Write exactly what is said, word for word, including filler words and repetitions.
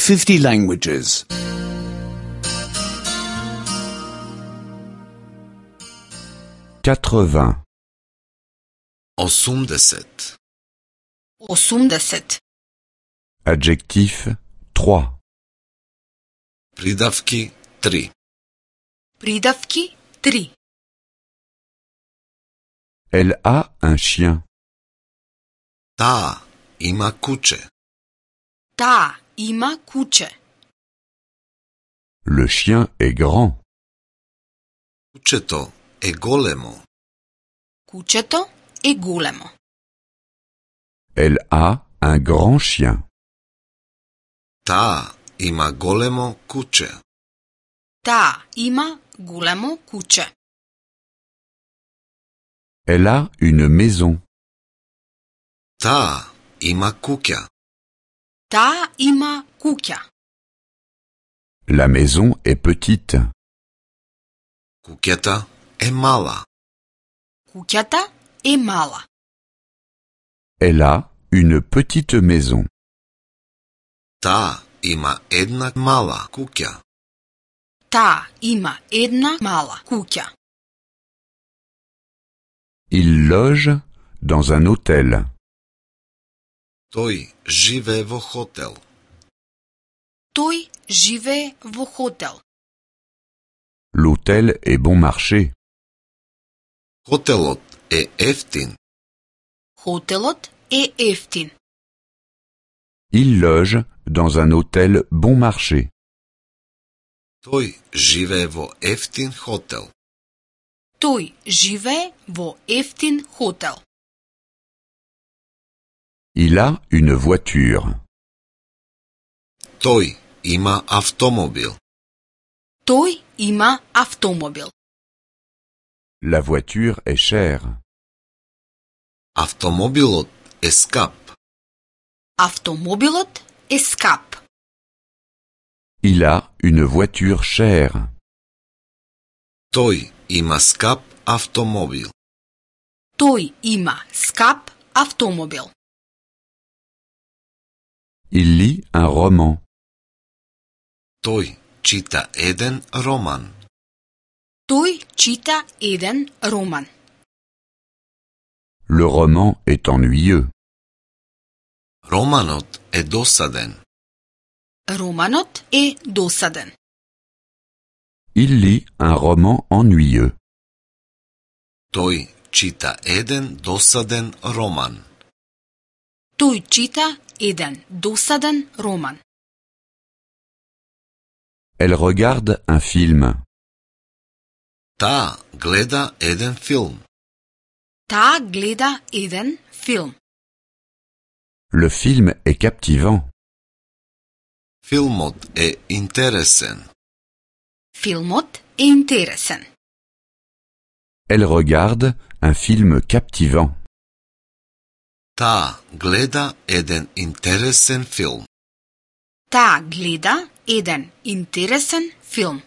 fifty languages. quatre-vingts. осемдесет. осемдесет. Adjectif trois. Придавки три. Придавки три. Elle a un chien. Таа има куче. Таа има куче. Le chien est grand. Кучето е големо. Кучето е големо. Elle a un grand chien. Таа има големо куче. Таа има големо куче. Elle a une maison. Таа има куќа. Таа има куќа. La maison est petite. Куќата е мала. Куќата е мала. Elle a une petite maison. Таа има една мала куќа. Таа има една мала куќа. Il loge dans un hôtel. Тој живее во хотел. Тој живее во хотел. L'hôtel est bon marché. Хотелот е ефтин. Хотелот е ефтин. Il loge dans un hôtel bon marché. Тој живее во ефтин хотел. Тој живее во ефтин хотел. Il a une voiture. Тој има автомобил. Тој има автомобил. La voiture est chère. Автомобилот е скап. Автомобилот е скап. Il a une voiture chère. Тој има скап автомобил. Тој има скап автомобил. Il lit un roman. Тој чита еден роман. Тој чита еден роман. Le roman est ennuyeux. Романот е досаден. Романот е досаден. Il lit un roman ennuyeux. Тој чита еден досаден роман. Тој чита еден досаден роман. Elle regarde un film. Таа гледа еден филм. Таа гледа еден филм. Le film est captivant. Филмот е интересен. Филмот е интересен. Elle regarde un film captivant. Таа гледа еден интересен филм. Таа гледа еден интересен филм.